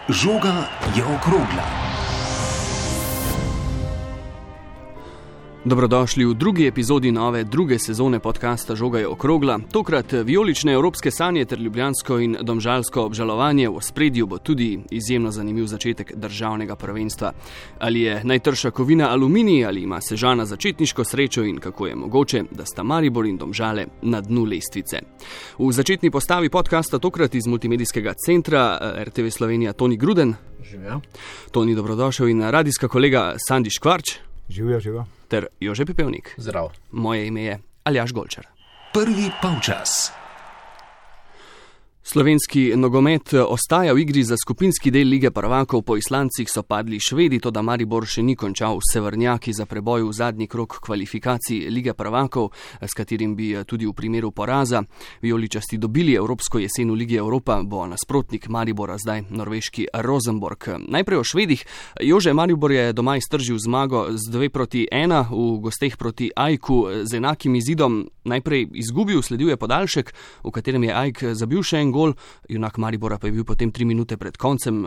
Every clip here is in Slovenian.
Žoga je okrogla. Dobrodošli v drugi epizodi nove druge sezone podcasta Žoga je okrogla. Tokrat vijolične evropske sanje ter ljubljansko in domžalsko obžalovanje. V ospredju bo tudi izjemno zanimiv začetek državnega prvenstva. Ali je najtrša kovina Aluminij, ali ima Sežana začetniško srečo in kako je mogoče, da sta Maribor in Domžale na dnu lestvice. V začetni postavi podcasta tokrat iz multimedijskega centra RTV Slovenija Toni Gruden. Živijo. Toni, dobrodošel, in radijska kolega Sandi Škvarč. Živijo. Ter Jože Pepevnik. Zdrav. Moje ime je Aljaž Golčar. Prvi polčas. Slovenski nogomet ostaja v igri za skupinski del Lige prvakov. Po Islandcih so padli Švedi, toda Maribor še ni končal severnjaki za preboj v zadnji krog kvalifikacij Lige prvakov, s katerim bi tudi v primeru poraza vijoličasti dobili evropsko jesen v Ligi Evropa, bo nasprotnik Maribora zdaj norveški Rosenborg. Najprej o Švedih. Jože, Maribor je doma iztržil zmago z 2-1, v gosteh proti Ajku z enakim izidom. Najprej izgubil, sledil je podaljšek, v katerem je Ajk zabil še en gol, junak Maribora pa je bil potem 3 minute pred koncem,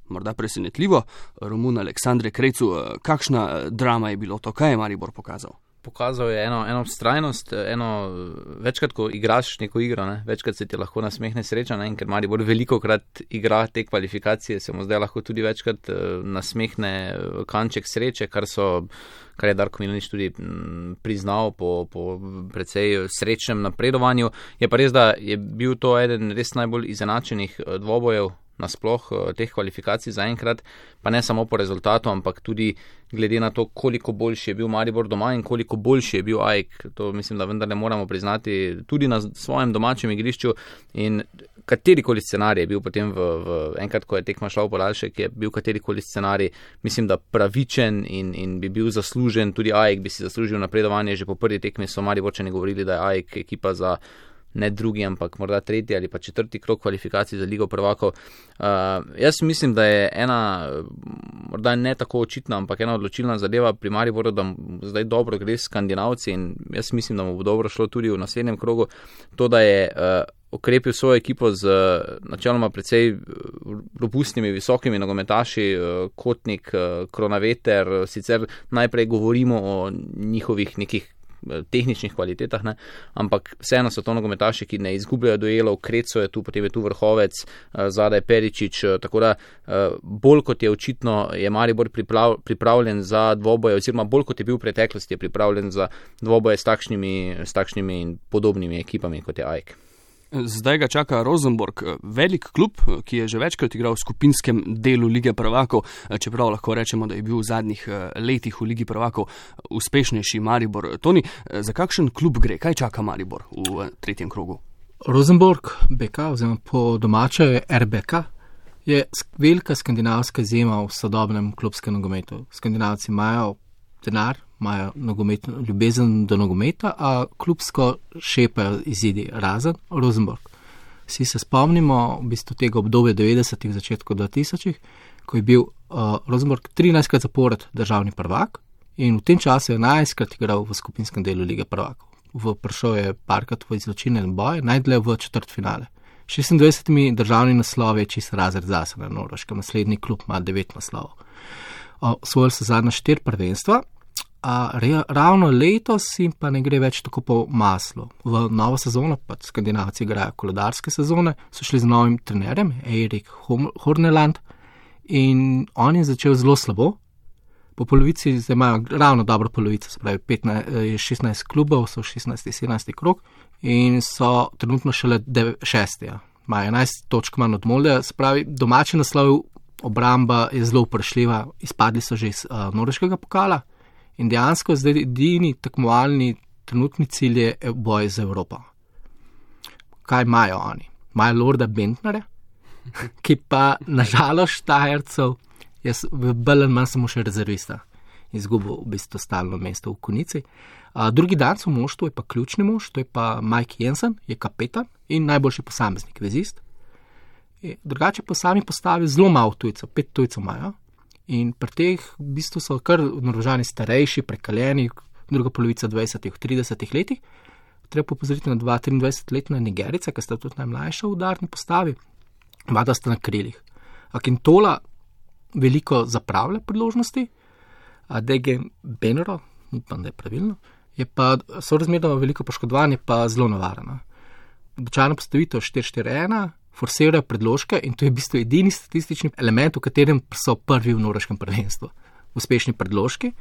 morda presenetljivo, Romun Aleksandre Krecu. Kakšna drama je bilo to, kaj je Maribor pokazal? Pokazal je eno vztrajnost, večkrat, ko igraš neko igro, večkrat se ti lahko nasmehne sreča, in ker Maribor velikokrat igra te kvalifikacije, se mu zdaj lahko tudi večkrat nasmehne kanček sreče, kar je Darko Milanič tudi priznal po precej srečnem napredovanju. Je pa res, da je bil to eden res najbolj izenačenih dvobojev nasploh teh kvalifikacij zaenkrat, pa ne samo po rezultatu, ampak tudi glede na to, koliko boljši je bil Maribor doma in koliko boljši je bil Ajk. To mislim, da vendar ne moramo priznati tudi na svojem domačem igrišču, in katerikoli scenarij je bil potem enkrat, ko je tekma šla v podaljšek, je bil katerikoli scenarij, mislim, da pravičen in bi bil zaslužen. Tudi Ajk bi si zaslužil napredovanje. Že po prvi tekmi so Mariborčani govorili, da je Ajk ekipa za ne drugi, ampak morda tretji ali pa četrti krog kvalifikacij za Ligo prvakov. Jaz mislim, da je ena, morda ne tako očitna, ampak ena odločilna zadeva pri Mariboru, da zdaj dobro gre s Skandinavci, in jaz mislim, da mu bo dobro šlo tudi v naslednjem krogu. To, da je okrepil svojo ekipo z načeloma precej robustnimi, visokimi nogometaši, Kotnik, Kronaveter. Sicer najprej govorimo o njihovih nekih tehničnih kvalitetah, ampak vseeno so to nogometaši, ki ne izgubljajo duelov. Kreco je tu, potem je tu Vrhovec, zadaj Peričič, tako da bolj kot je očitno, je Maribor pripravljen za dvoboje, oziroma bolj kot je bil v preteklosti, je pripravljen za dvoboje s takšnimi in podobnimi ekipami, kot je Ajk. Zdaj ga čaka Rosenborg, velik klub, ki je že večkrat igral v skupinskem delu Lige prvakov, čeprav lahko rečemo, da je bil v zadnjih letih v Ligi prvakov uspešnejši Maribor. Toni, za kakšen klub gre? Kaj čaka Maribor v tretjem krogu? Rosenborg, BK, oziroma po domače RBK, je velika skandinavska izjema v sodobnem klubskem nogometu. Skandinavci imajo denar, imajo ljubezen do nogometa, a klubsko šepajo izidi, razen Rosenborg. Vsi se spomnimo v bistvu tega obdobja 90-ih, začetku 2000-ih, ko je bil Rosenborg 13krat zapored državni prvak in v tem času je 11krat igral v skupinskem delu Lige prvakov. Prišel je parkrat v izločilne boje, najdlje v četrtfinale. 26 državni naslovi je čist razred zase na Norveškem, naslednji klub ima 9 naslovov. Osvojili so zadnja 4 prvenstva, a ravno letos jim pa ne gre več tako po maslu. V novo sezono, pa Skandinavci igrajo koledarske sezone, so šli z novim trenerjem, Erik Horneland, in on je začel zelo slabo. Po polovici, zdaj imajo ravno dobro polovico, se pravi 16 klubov, so 16-17 krog in so trenutno šele 6. Imajo 11 točk manj od Molde, se pravi domači naslov, obramba je zelo vprašljiva, izpadli so že iz norveškega pokala. In dejansko zdaj edini tekmovalni trenutni cilj je boj za Evropo. Kaj imajo oni? Imajo Lorda Bentnerja, ki pa nažalost Štajercev je bolj ali manj samo še rezervista. Izgubil v bistvu stalno mesto v Konici. Drugi dan v moštvu je pa ključni mož, to je pa Mike Jensen, je kapetan in najboljši posameznik, vezist. Drugače pa sami postavi zelo malo tujcev, 5 tujcev imajo. In pri teh v bistvu so kar Norvežani starejši, prekaljeni, druga polovica 20-ih, 30-ih letih. Treba popozoriti na 23-letna Nigerica, ki sta tudi najmlajša v udarni postavi. Vada sta na krilih. Akintola veliko zapravlja priložnosti, Degen Benero, upam, da je pravilno, je pa sorazmerno veliko poškodovan, je pa zelo navarana. Običajno postavitev 4-4-1, forsirajo predložke in to je v bistvu edini statistični element, v katerem so prvi v norveškem prvenstvu. Uspešni predložki,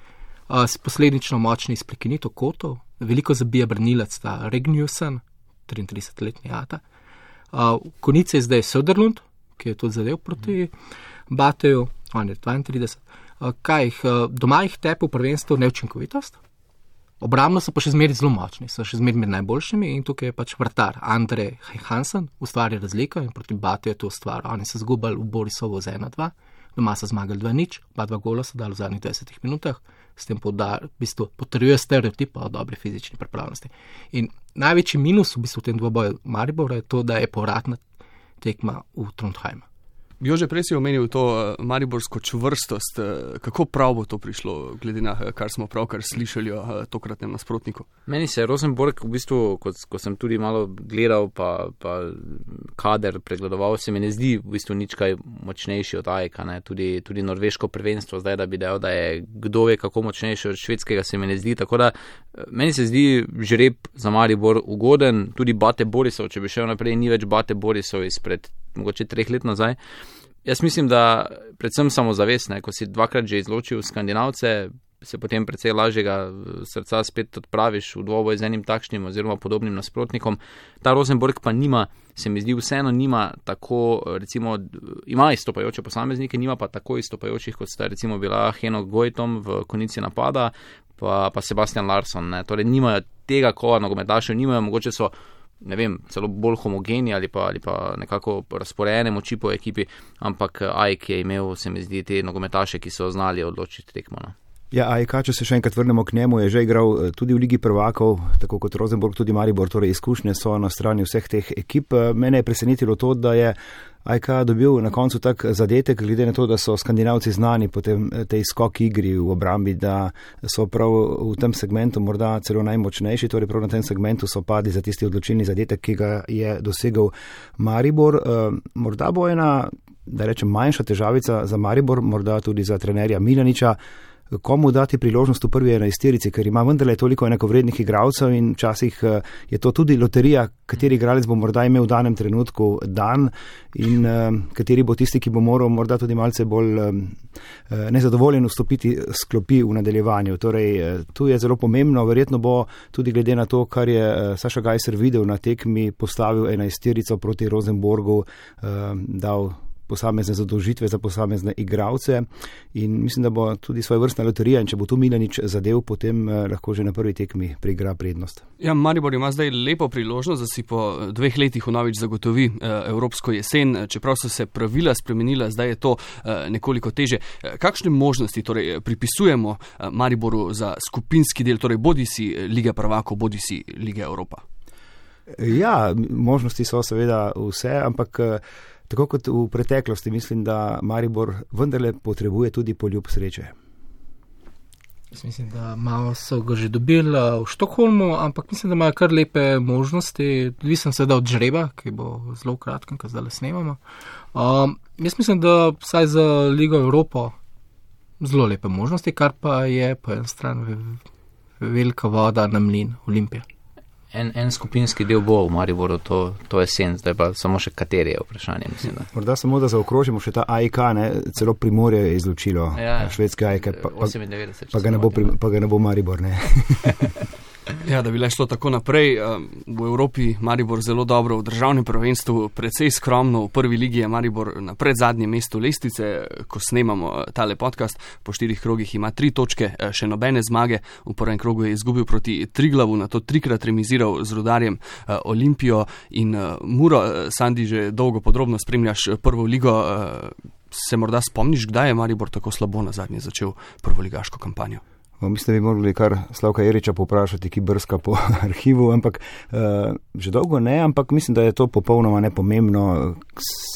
posledično močni iz prekinitev kotov, veliko zabija branilec sta Regniussen, 33-letni Ata. Konice je zdaj Söderlund, ki je tudi zadev proti Bateju, on je 32. Doma jih tepe v prvenstvu neučinkovitost, obrambno so pa še zmeri zelo močni, so še zmeri med najboljšimi in tukaj je pač vratar Andre Hansen ustvarja razliko in proti Bateju je to ustvaril. Oni so zgubali v Borisovo z 1-2, doma so zmagali 2-0, 2 gola so dali v zadnjih 20 minutah, s tem v bistvu potrjuje stereotip o dobri fizični pripravljenosti. In največji minus v bistvu v tem dvoboju Maribora je to, da je povratna tekma v Trondheimu. Jože, prej si omenil to mariborsko čvrstost. Kako prav bo to prišlo, glede na kar smo pravkar slišali o tokratnem nasprotniku? Meni se Rosenborg v bistvu, ko sem tudi malo gledal pa kader pregledoval, se mi ne zdi v bistvu nič kaj močnejši od AEK, ne? Tudi norveško prvenstvo zdaj, da bi dejal, da je kdo ve kako močnejši od švedskega, se mi ne zdi, tako da meni se zdi žreb za Maribor ugoden, tudi Bate Borisov, če bi šel naprej, ni več Bate Borisov izpred mogoče 3 let nazaj. Jaz mislim, da predvsem samozavestne, ko si 2-krat že izločil Skandinavce, se potem precej lažjega srca spet odpraviš v dvoboj z enim takšnim oziroma podobnim nasprotnikom. Ta Rosenborg pa nima, se mi zdi vseeno nima tako, recimo, ima izstopajoče posameznike, nima pa tako izstopajočih, kot sta recimo bila Henok Goitom v konici napada, pa Sebastian Larsson, ne. Torej nimajo tega kova nogometašev, nimajo, mogoče so, ne vem, celo bolj homogeni ali pa nekako razporejene moči po ekipi, ampak AEK je imel, se mi zdi, te nogometaše, ki so znali odločiti tekmo. No. Ja, AEK, če se še enkrat vrnemo k njemu, je že igral tudi v Ligi prvakov, tako kot Rosenborg, tudi Maribor, torej izkušnje so na strani vseh teh ekip. Mene je presenetilo to, da je AEK dobil na koncu tak zadetek, glede na to, da so Skandinavci znani po tej skok igri v obrambi, da so prav v tem segmentu morda celo najmočnejši, torej prav na tem segmentu so padli za tisti odločilni zadetek, ki ga je dosegel Maribor. Morda bo ena, da rečem, manjša težavica za Maribor, morda tudi za trenerja Milaniča, komu dati priložnost v prvi 11-terici, ker ima vendarle toliko enakovrednih igralcev in včasih je to tudi loterija, kateri igralec bo morda imel v danem trenutku dan in kateri bo tisti, ki bo moral morda tudi malce bolj nezadovoljen vstopiti s klopi v nadaljevanju. Torej, tu je zelo pomembno, verjetno bo tudi glede na to, kar je Saša Gajser videl na tekmi, postavil 11-terico proti Rosenborgu, dal posamezne zadolžitve za posamezne igralce in mislim, da bo tudi svoja vrstna loterija in če bo tu Milanič zadev, potem lahko že na prvi tekmi preigra prednost. Ja, Maribor ima zdaj lepo priložnost, da si po 2 letih vnovič zagotovi evropsko jesen, čeprav so se pravila spremenila, zdaj je to nekoliko teže. Kakšne možnosti torej pripisujemo Mariboru za skupinski del, torej bodisi Lige prvakov, bodisi Lige Evropa? Ja, možnosti so seveda vse, ampak tako kot v preteklosti, mislim, da Maribor vendarle potrebuje tudi poljub sreče. Jaz mislim, da malo so ga že dobili v Štokholmu, ampak mislim, da imajo kar lepe možnosti. Odvisen seveda od žreba, ki bo zelo kratkem, ko zdaj snemamo. Jaz mislim, da vsaj za Ligo Evropo zelo lepe možnosti, kar pa je po eni strani velika voda na mlin Olimpija. En skupinski del bo v Mariboru to jesen, zdaj pa samo še kateri je vprašanje, mislim. Da. Morda samo, da zaokrožimo še ta AEK, ne, celo Primorje je izločilo švedske AEK, pa ga ne bo Maribor, ne. Ja, da bi le šlo tako naprej. V Evropi Maribor zelo dobro, v državnem prvenstvu precej skromno, v prvi ligi je Maribor na predzadnjem mestu lestvice, ko snemamo tale podcast, po 4 krogih ima 3 točke, še nobene zmage, v prvem krogu je izgubil proti Triglavu, na to 3-krat remiziral z Rudarjem, Olimpijo in Muro. Sandi, že dolgo podrobno spremljaš prvo ligo, se morda spomniš, kdaj je Maribor tako slabo nazadnje začel prvoligaško kampanjo? Mislim, da bi morali kar Slavka Eriča poprašati, ki brska po arhivu, ampak že dolgo ne, ampak mislim, da je to popolnoma nepomembno,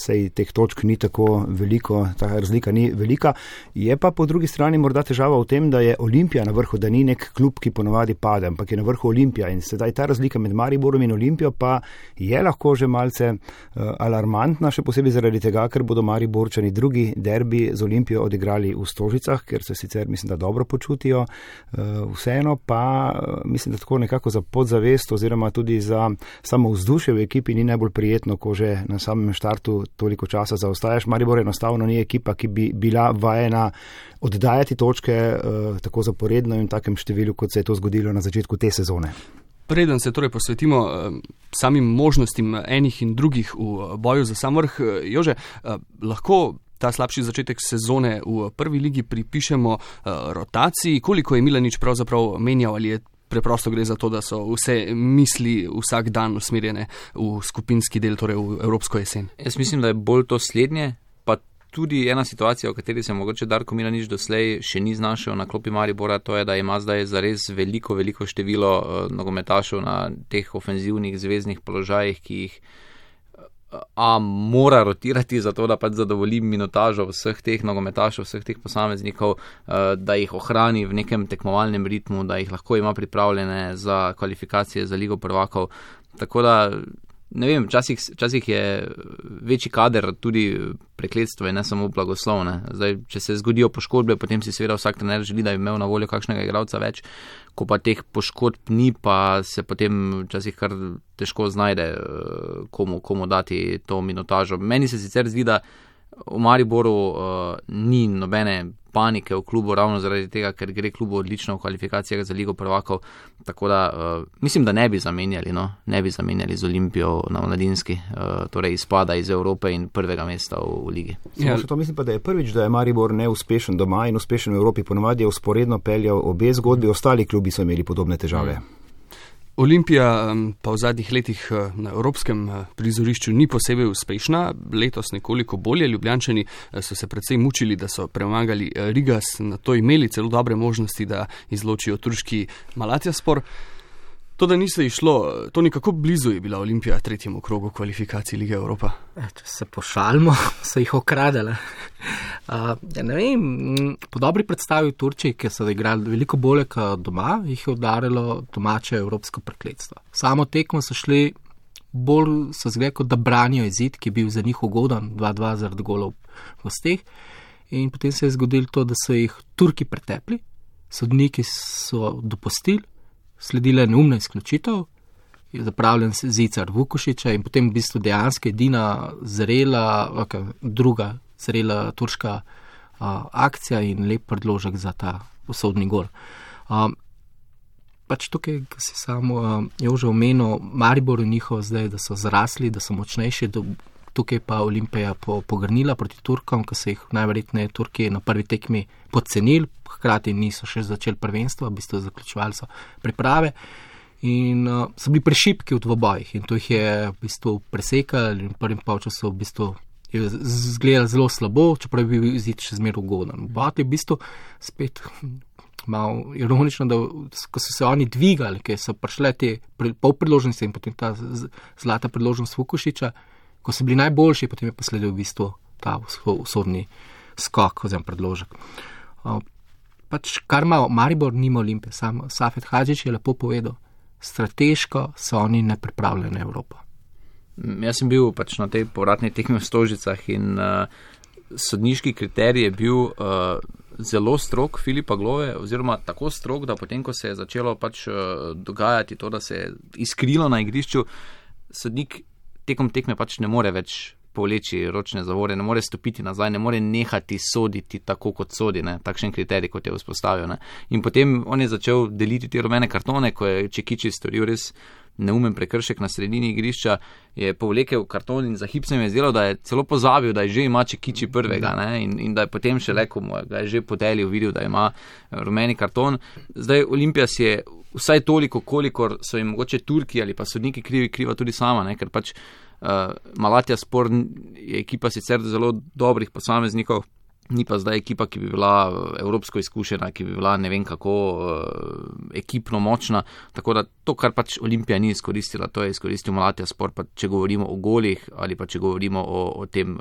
sej teh točk ni tako veliko, ta razlika ni velika. Je pa po drugi strani morda težava v tem, da je Olimpija na vrhu, da ni nek klub, ki ponovadi pade, ampak je na vrhu Olimpija in sedaj ta razlika med Mariborom in Olimpijo pa je lahko že malce alarmantna, še posebej zaradi tega, ker bodo Mariborčani drugi derbi z Olimpijo odigrali v Stožicah, ker se sicer mislim, da dobro počutijo. Vseeno pa mislim, da tako nekako za podzavest oziroma tudi za samo vzdušje v ekipi ni najbolj prijetno, ko že na samem štartu toliko časa zaostajaš. Maribor enostavno ni ekipa, ki bi bila vajena oddajati točke tako zaporedno in v takem številu, kot se je to zgodilo na začetku te sezone. Preden se torej posvetimo samim možnostim enih in drugih v boju za sam vrh, Jože, lahko ta slabši začetek sezone v prvi ligi pripišemo rotaciji. Koliko je Milanič pravzaprav menjal, ali je preprosto gre za to, da so vse misli vsak dan usmerjene v skupinski del, torej v evropsko jesen? Jaz mislim, da je bolj to slednje, pa tudi ena situacija, v kateri se mogoče Darko Milanič doslej še ni znašel na klopi Maribora, to je, da ima zdaj zares veliko število nogometašev na teh ofenzivnih zvezdnih položajih, ki jih mora rotirati zato, da pač zadovolji minutažo vseh teh nogometašev, vseh teh posameznikov, da jih ohrani v nekem tekmovalnem ritmu, da jih lahko ima pripravljene za kvalifikacije za Ligo prvakov. Tako da, ne vem, včasih je večji kader tudi prekletstvo in ne samo blagoslovne. Zdaj, če se zgodijo poškodbe, potem si seveda vsak trener želi, da bi imel na voljo kakšnega igralca več, ko pa teh poškodb ni, pa se potem včasih kar težko znajde, komu dati to minutažo. Meni se sicer zdi, da v Mariboru ni nobene panike v klubu ravno zaradi tega, ker gre klubu odlično v kvalifikacijah za Ligo prvakov, tako da mislim, da ne bi zamenjali z Olimpijo na mladinski, torej izpada iz Evrope in prvega mesta v ligi. To mislim pa, da je prvič, da je Maribor neuspešen doma in uspešen v Evropi, ponovadi je usporedno peljal obe zgodbi, ostali klubi so imeli podobne težave. Olimpija pa v zadnjih letih na evropskem prizorišču ni posebej uspešna, letos nekoliko bolje. Ljubljančani so se precej mučili, da so premagali Rigas, na to imeli celo dobre možnosti, da izločijo turški Malatyaspor. To, da ni se išlo, to nekako blizu je bila Olimpija tretjemu krogu kvalifikacij Lige Evropa. Če se pošalimo, so jih okradele. Ne vem, po dobri predstavi v Turčiji, ki so igrali veliko bolje kot doma, jih je udarilo domače evropsko prekletstvo. Samo tekmo so šli bolj, so zgled, kot da branijo izid, ki je bil za njih ugodan, 2-2 zaradi golov v gosteh. In potem se je zgodilo to, da so jih Turki pretepli, sodniki so dopustili, sledila je neumna izključitev, je zapravljen Zicar Vukušića in potem v bistvu dejansko edina druga zrela turška akcija in lep predložek za ta usodni gol. Pač tukaj, ko si samo Jože omenil, Maribor in njihov zdaj, da so zrasli, da so močnejši, tukaj pa Olimpija pogrnila proti Turkom, ko so jih najverjetneje Turki na prvi tekmi podcenili, hkrati niso še začeli prvenstva, v bistvu zaključovali so priprave in so bili prešipki v dvobojih in to jih je v bistvu presekali in v prvem polčasu v bistvu je izgledalo zelo slabo, čeprav je bil izid še zmeraj ugoden. Botli v bistvu spet malo ironično, da ko so se oni dvigali, ker so prišle te pol priložnosti in potem ta zlata priložnost Vukušića, ko so bili najboljši, potem je posledil v bistvu ta usodni skok oziroma predložek. Pač kar ima Maribor, nima Olimpije, sam Safet Hadžić je lepo povedal, strateško so oni nepripravljeni na Evropo. Jaz sem bil pač na tej povratni tekmi v Stožicah in sodniški kriterij je bil zelo strog Filipa Glove, oziroma tako strog, da potem, ko se je začelo pač dogajati to, da se je iskrilo na igrišču, sodnik tekom tekme pač ne more več povleči ročne zavore, ne more stopiti nazaj, ne more nehati soditi tako, kot sodi, ne? Takšen kriterij, kot je vzpostavil. Ne? In potem on je začel deliti te rumene kartone, ko je Čekiči storil res neumen prekršek na sredini igrišča, je povlekel karton in za hip se mi je zdelo, da je celo pozabil, da je že ima Čekiči prvega, ne? In da je potem še ko mu ga je že podelil, videl, da ima rumeni karton. Zdaj Olimpija si je vsaj toliko, kolikor so jim mogoče Turki ali pa sodniki kriva tudi sama, ne? Ker pač Malatyaspor je ekipa sicer zelo dobrih posameznikov, Ni pa zdaj ekipa, ki bi bila evropsko izkušena, ki bi bila ne vem kako ekipno močna. Tako da to, kar pač Olimpija ni izkoristila, to je izkoristil Malatja Spor, pa če govorimo o golih ali pa če govorimo o tem,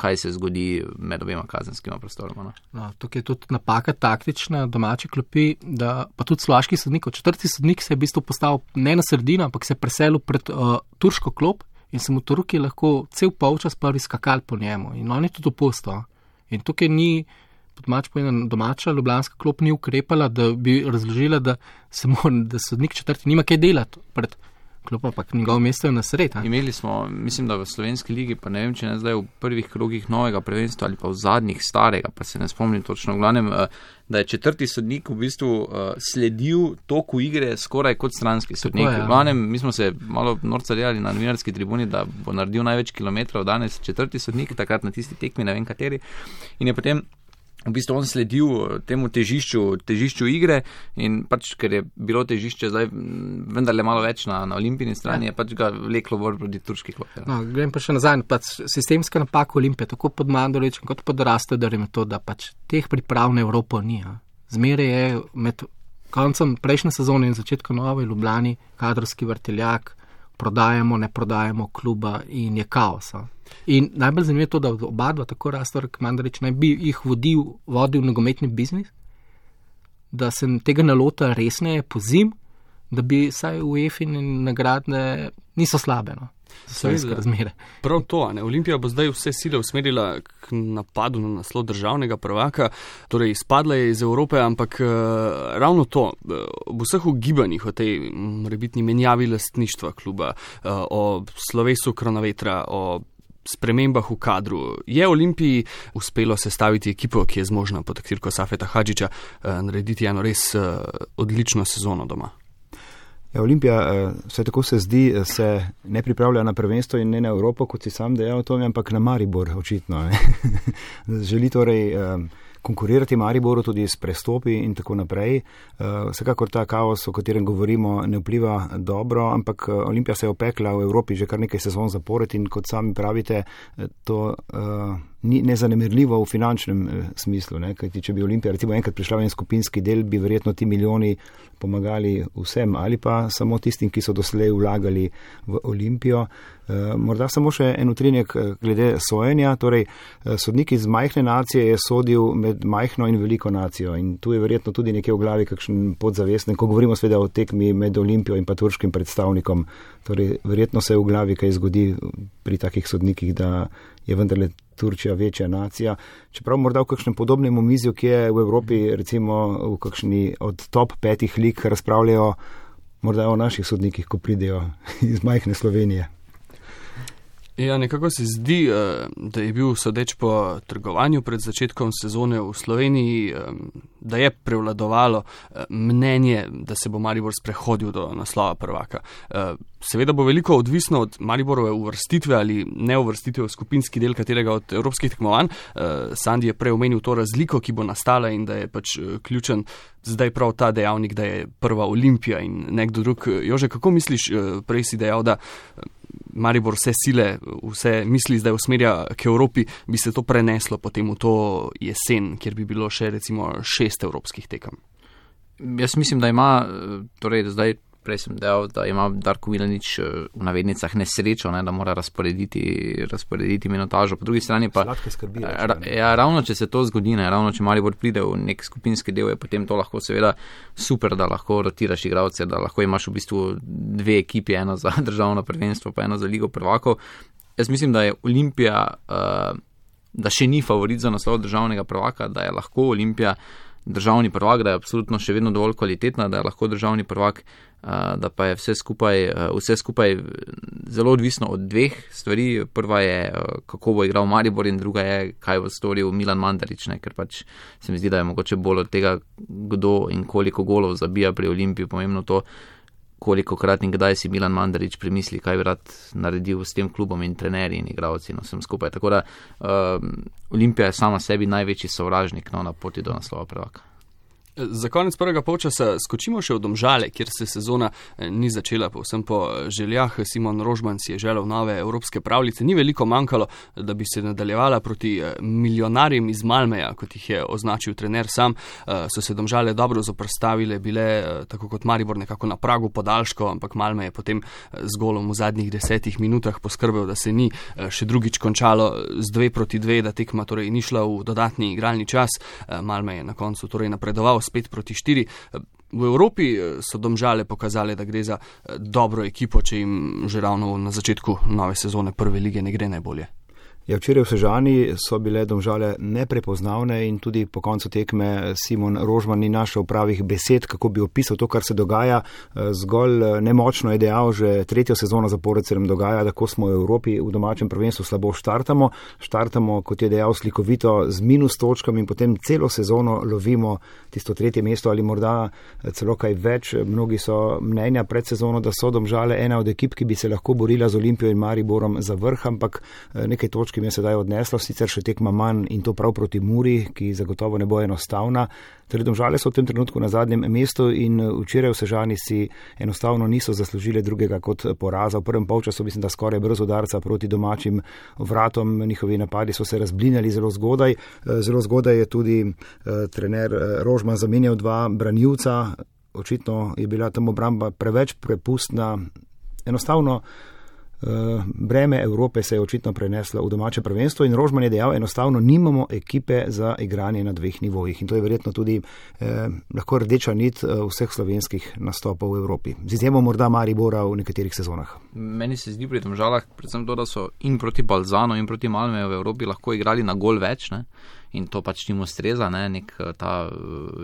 kaj se zgodi med obema kazenskima prostoroma. No, tukaj je tudi napaka taktična domače klopi, da pa tudi slovaški sodnik, četrti sodnik se je v bistvu postavil ne na sredino, ampak se je preselil pred turško klop in se mu Turki lahko cel polčas prvi skakali po njemu in on je tudi opustil. In tukaj ni, domača ljubljanska klop ni ukrepala, da bi razložila, da sodnik četrti nima kaj delati pred klopom, pa njegovo mesto je na sred. Imeli smo, mislim, da v slovenski ligi, pa ne vem, če ne zdaj v prvih krogih novega prvenstva ali pa v zadnjih starega, pa se ne spomnim točno, v glavnem, da je četrti sodnik v bistvu sledil toku igre skoraj kot stranski sodnik. V glavnem, mi smo se malo norca delali na novinarski tribuni, da bo naredil največ kilometrov danes četrti sodnik, takrat na tisti tekmi, ne vem kateri, in je potem v bistvu on sledil temu težišču igre in pač, ker je bilo težišče zdaj vendarle malo več na olimpijni strani, je pač ga vleklo bolj proti turški klopi. No, grem pa še nazaj, pač sistemska napaka Olimpije, tako pod Mandoličem kot pod Rastoderjem je to, da pač teh priprav na Evropo ni. Zmeraj je med koncem prejšnje sezone in začetkom nove Ljubljani kadrovski vrteljak, prodajamo, ne prodajamo kluba in je kaos. In najbolj zanimivo je to, da oba dva, tako Rastor kot Mandarič, naj bi jih vodil nogometni biznis, da se tega nalota resneje pozim, da bi saj UEFA-ine nagradne niso slabe, no. Prav to, ne? Olimpija bo zdaj vse sile usmerila k napadu na naslov državnega prvaka, torej izpadla je iz Evrope, ampak ravno to, v vseh ugibanjih o tej morebitni menjavi lastništva kluba, o slovesu Kronavetra, o spremembah v kadru, je Olimpiji uspelo sestaviti ekipo, ki je zmožna pod taktirko Safeta Hadžića narediti eno res odlično sezono doma. Ja, Olimpija, vse tako se zdi, se ne pripravlja na prvenstvo in ne na Evropo, kot si sam dejal, to, ampak na Maribor, očitno. Želi torej konkurirati Mariboru tudi s prestopi in tako naprej. Vsekakor ta kaos, o katerem govorimo, ne vpliva dobro, ampak Olimpija se je opekla v Evropi že kar nekaj sezon zapored in kot sami pravite, to ni nezanemerljivo v finančnem smislu. Ne? Kajti, če bi Olimpija recimo enkrat prišla v en skupinski del, bi verjetno ti milijoni pomagali vsem ali pa samo tistim, ki so doslej vlagali v Olimpijo. Morda samo še en utrinek glede sojenja, torej sodnik iz majhne nacije je sodil med majhno in veliko nacijo in tu je verjetno tudi nekje v glavi kakšen podzavestnen, ko govorimo seveda o tekmi med Olimpijo in pa turškim predstavnikom, torej verjetno se v glavi kaj zgodi pri takih sodnikih, da je vendarle Turčija večja nacija. Čeprav morda v kakšnem podobnem omizju, ki je v Evropi, recimo v kakšni od top 5 lig razpravljajo morda o naših sodnikih, ko pridejo iz majhne Slovenije. Ja, nekako se zdi, da je bil sodeč po trgovanju pred začetkom sezone v Sloveniji, da je prevladovalo mnenje, da se bo Maribor sprehodil do naslova prvaka. Seveda bo veliko odvisno od Mariborove uvrstitve ali ne uvrstitve v skupinski del katerega od evropskih tekmovanj. Sandi je prej omenil to razliko, ki bo nastala in da je pač ključen zdaj prav ta dejavnik, da je prva Olimpija in nekdo drug. Jože, kako misliš, prej si dejal, da Maribor vse sile, vse misli zdaj usmerja k Evropi, bi se to preneslo potem v to jesen, kjer bi bilo še recimo 6 evropskih tekem? Jaz mislim, da ima, torej zdaj prej sem dejal, da ima Darko Milanič v navednicah nesrečo, ne, da mora razporediti minutažo. Po drugi strani pa, ravno če se to zgodi, ne, ravno če Maribor pride v nek skupinski del, je potem to lahko seveda super, da lahko rotiraš igralce, da lahko imaš v bistvu 2 ekipi, eno za državno prvenstvo, pa eno za ligo prvakov. Jaz mislim, da je Olimpija, da še ni favorit za naslov državnega prvaka, da je lahko Olimpija državni prvak, da je absolutno še vedno dovolj kvalitetna, da je lahko državni prvak, da pa je vse skupaj zelo odvisno od 2 stvari. Prva je, kako bo igral Maribor in druga je, kaj bo storil Milan Mandarič, ne? Ker pač se mi zdi, da je mogoče bolj od tega, kdo in koliko golov zabija pri Olimpiji, pomembno to, koliko krat in kdaj si Milan Mandarič premisli, kaj bi rad naredil s tem klubom in trenerji in igralci in vsem skupaj. Tako da Olimpija je sama sebi največji sovražnik na poti do naslova prvaka. Za konec prvega polčasa skočimo še v Domžale, kjer se sezona ni začela povsem po željah. Simon Rožman si je želel nove evropske pravljice. Ni veliko manjkalo, da bi se nadaljevala proti milijonarjem iz Malmeja, kot jih je označil trener sam. So se Domžale dobro zoprstavile, bile tako kot Maribor nekako na pragu podaljškov, ampak Malme je potem z golom v zadnjih 10 minutah poskrbel, da se ni še drugič končalo z 2-2, da tekma torej ni šla v dodatni igralni čas. Malme je na koncu torej napredoval s 5-4. V Evropi so Domžale pokazali, da gre za dobro ekipo, če jim že ravno na začetku nove sezone prve lige ne gre najbolje. Ja, včeraj v Sežani so bile Domžale neprepoznavne in tudi po koncu tekme Simon Rožman ni našel pravih besed, kako bi opisal to, kar se dogaja. Zgolj nemočno je dejal, že tretjo sezono zapored se nam dogaja, da ko smo v Evropi v domačem prvenstvu slabo štartamo, kot je dejal slikovito, z minus točkami in potem celo sezono lovimo tisto tretje mesto ali morda celo kaj več. Mnogi so mnenja pred sezono, da so Domžale ena od ekip, ki bi se lahko borila z Olimpijo in Mariborom za vrh, ampak nekaj točk mi je sedaj odneslo, sicer še tekma manj in to prav proti Muri, ki zagotovo ne bo enostavna. Torej Domžale so v tem trenutku na zadnjem mestu in včeraj v Sežani si enostavno niso zaslužili drugega kot poraza. V prvem polčasu mislim, da skoraj brez udarca proti domačim vratom. Njihovi napadi so se razblinjali zelo zgodaj. Zelo zgodaj je tudi trener Rožman zamenjal 2 branilca. Očitno je bila tam obramba preveč prepustna. Enostavno breme Evrope se je očitno preneslo v domače prvenstvo in Rožman je dejal, enostavno nimamo ekipe za igranje na 2 nivojih in to je verjetno tudi lahko rdeča nit vseh slovenskih nastopov v Evropi. Z izjemo morda Maribora v nekaterih sezonah. Meni se zdi pri Domžalah predvsem to, da so in proti Balzano in proti Malmeju v Evropi lahko igrali na gol več, ne? In to pač njim ustreza, ne,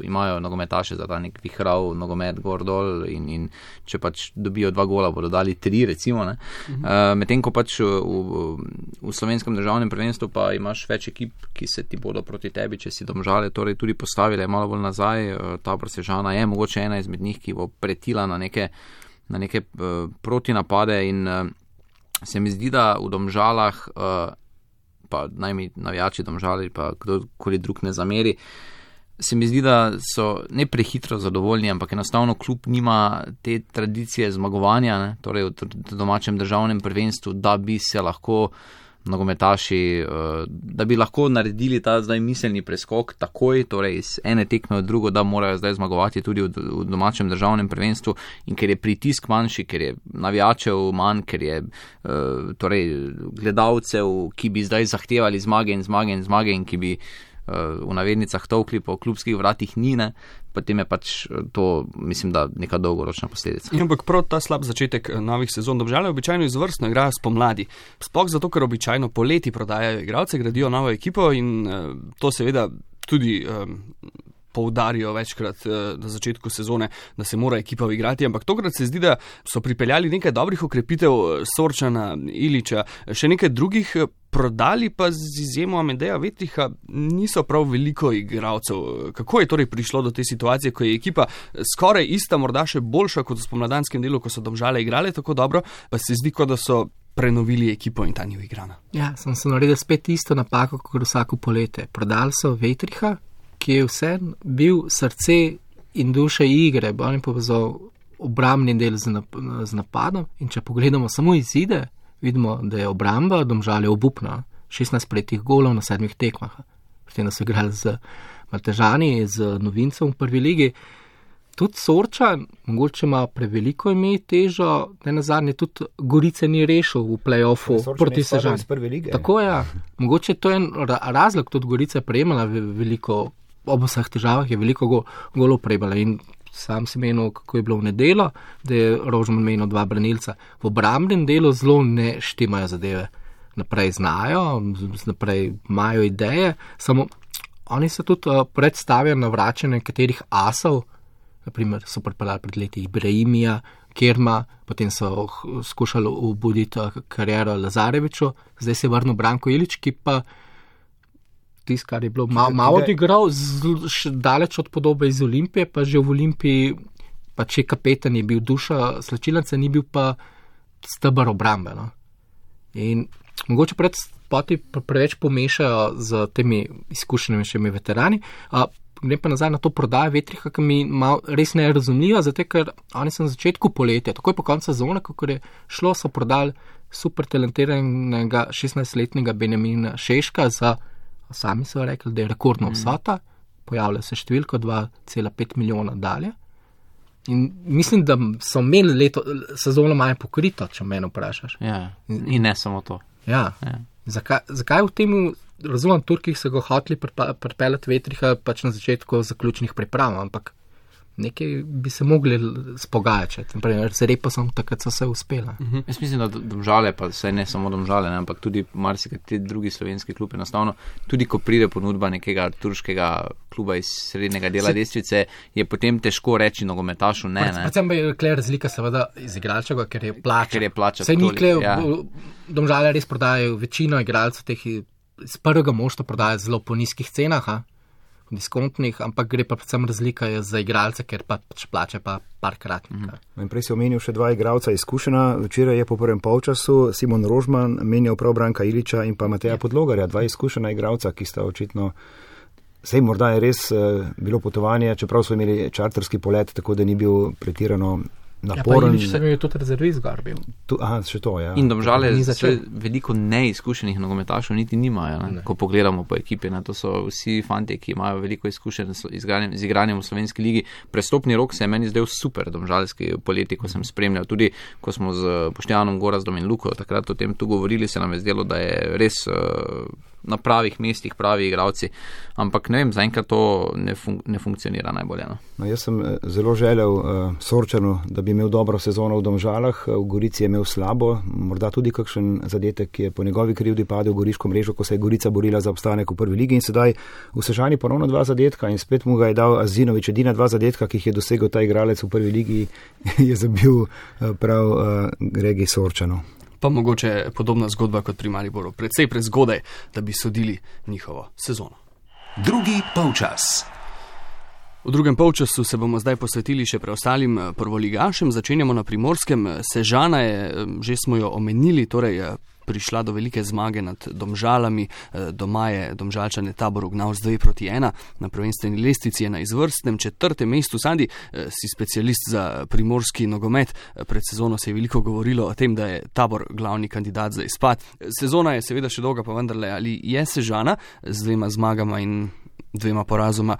imajo nogometaše za ta nek vihrav nogomet gor dol in če pač dobijo 2 gola, bodo dali 3 recimo, ne. Medtem ko pač v slovenskem državnem prvenstvu pa imaš več ekip, ki se ti bodo proti tebi, če si Domžale torej tudi postavile malo bolj nazaj. Ta Sežana je mogoče ena izmed njih, ki bo pretila na neke protinapade in se mi zdi, da v Domžalah pa naj mi navijači Domžali, pa kdorkoli drug ne zameri, se mi zdi, da so ne prehitro zadovoljni, ampak enostavno klub nima te tradicije zmagovanja, ne, torej v domačem državnem prvenstvu, da bi se lahko nogometaši, da bi lahko naredili ta zdaj miselni preskok takoj, torej iz ene tekme v drugo, da morajo zdaj zmagovati tudi v domačem državnem prvenstvu in ker je pritisk manjši, ker je navijačev manj, ker je torej gledalcev, ki bi zdaj zahtevali zmage in ki bi v navednicah tolkli po klubskih vratih nine, potem je pač to, mislim, da neka dolgoročna posledica. Ampak prav ta slab začetek novih sezon Domžale običajno izvrstno igrajo spomladi. Sploh zato, ker običajno poleti prodajajo igralce, gradijo novo ekipo in to seveda tudi poudarijo večkrat na začetku sezone, da se mora ekipa igrati, ampak tokrat se zdi, da so pripeljali nekaj dobrih okrepitev Sorčana, Iliča, še nekaj drugih, prodali pa z izjemo Amedeja Vetriha niso prav veliko igralcev. Kako je torej prišlo do te situacije, ko je ekipa skoraj ista, morda še boljša kot v spomladanskem delu, ko so Domžale igrale tako dobro, pa se zdi, kot da so prenovili ekipo in ta ni igrana? Ja, sem se naredil spet isto napako, kot vsako poletje. Prodali so Vetriha, ki je vse bil srce in duše igre, bo on povezal obrambni del z napadom in če pogledamo samo izide, vidimo, da je obramba Domžale obupna. 16 prejetih golov na 7 tekmah. Potem da so igrali z Maltežani, z novincem v prvi ligi. Tudi Sorčan, mogoče ima preveliko ime težo, da nazadnje tudi Gorice ni rešil v play-offu proti Sežani. Tako je, mogoče to je razlog, tudi Gorica je prejemala veliko, ob vseh težavah je veliko golov prejemala in sam si menil, kako je bilo v nedeljo, da je Rožman menil 2 branilca. V obrambnem delu zelo ne štimajo zadeve. Naprej znajo, naprej imajo ideje, samo oni se tudi predstavijo na vračanje nekaterih asov, naprimer so pripeljali pred leti Ibrahimija, Kerma, potem so skušali obuditi kariero Lazareviču, zdaj se je vrnil Branko Ilič, ki pa tisto, kar je bilo malo odigral, daleč od podobe iz Olimpije, pa že v Olimpiji, pa če kapetan je bil duša slačilnica, ni bil pa steber obrambe. No? In mogoče preveč pomešajo z temi izkušenimi veterani. grem pa nazaj na to prodajo Vetriha, ki mi res ne razumljiva, zato ker oni so na začetku poletja, takoj po koncu sezone, kako je šlo, so prodali super talentiranega 16-letnega Benjamina Šeška za, sami so rekli, da je rekordna vsota, pojavlja se številko 2,5 milijona dalje. In mislim, da so imeli sezono malo pokrito, če mene vprašaš. Ja, in ne samo to. Ja. Zakaj v tem, razumem, Turkih so ga hoteli pripeljati Vetriha pač na začetku zaključnih priprav, ampak nekaj bi se mogli spogajati, naprimer z Reposom, takrat so se uspela. Jaz mislim, da Domžale, pa saj ne samo Domžale, ne, ampak tudi marsikateri drugi slovenski klub enostavno, tudi ko pride ponudba nekega turškega kluba iz srednjega dela Lestvice, je potem težko reči nogometašu ne. Predvsem pa je kle razlika seveda iz igralčega, ker je plača. Saj ni kle, Domžale res prodajajo večino igralcev teh iz prvega moštva prodajajo zelo po nizkih cenah, diskontnih, ampak gre pa predvsem razlika za igralce, ker pač plače pa parkratnika. Prej si omenil še 2 igralca izkušena. Včeraj je po prvem polčasu Simon Rožman menjal prav Branka Iliča in pa Mateja Podlogarja, 2 izkušena igralca, ki sta očitno, sej morda je res bilo potovanje, čeprav so imeli čarterski polet, tako da ni bil pretirano naporen. Ja, pa Ilič sem je tudi rezervist gar bil. Še to, ja. In Domžale veliko neizkušenih nogometašov niti nimajo, ko pogledamo po ekipi. To so vsi fanti, ki imajo veliko izkušenj z igranjem v slovenski ligi. Prestopni rok se je meni zdel super domžalski poleti, ko sem spremljal. Tudi ko smo z Boštjanom Gorazdom in Luko takrat o tem tu govorili, se nam je zdelo, da je res na pravih mestih pravi igralci. Ampak ne vem, zaenkrat to ne funkcionira najbolje. Jaz sem zelo želel Sorčanu, da bi imel dobro sezono v Domžalah, v Gorici je imel slabo, morda tudi kakšen zadetek, ki je po njegovi krivdi padel v Goriško mrežo, ko se je Gorica borila za obstanek v prvi ligi in sedaj v Sežani ponovno 2 zadetka in spet mu ga je dal Azinović, edina 2 zadetka, ki jih je dosegel ta igralec v prvi ligi, je zabil prav Gregi Sorčanu. Pa mogoče podobna zgodba kot pri Mariboru, predvsej prezgodaj, da bi sodili njihovo sezono. Drugi polčas. V drugem polčasu se bomo zdaj posvetili še preostalim prvoligašem. Začenjamo na Primorskem. Sežana je, že smo jo omenili, torej prišla do velike zmage nad Domžalami. Doma je Domžalčane Tabor ugnal z 2-1. Na prvenstveni lestvici je na izvrstnem 4. mestu. Sandi, si specialist za primorski nogomet. Pred sezono se je veliko govorilo o tem, da je Tabor glavni kandidat za izpad. Sezona je seveda še dolga, pa vendarle, ali je Sežana z 2 zmagama in 2 porazoma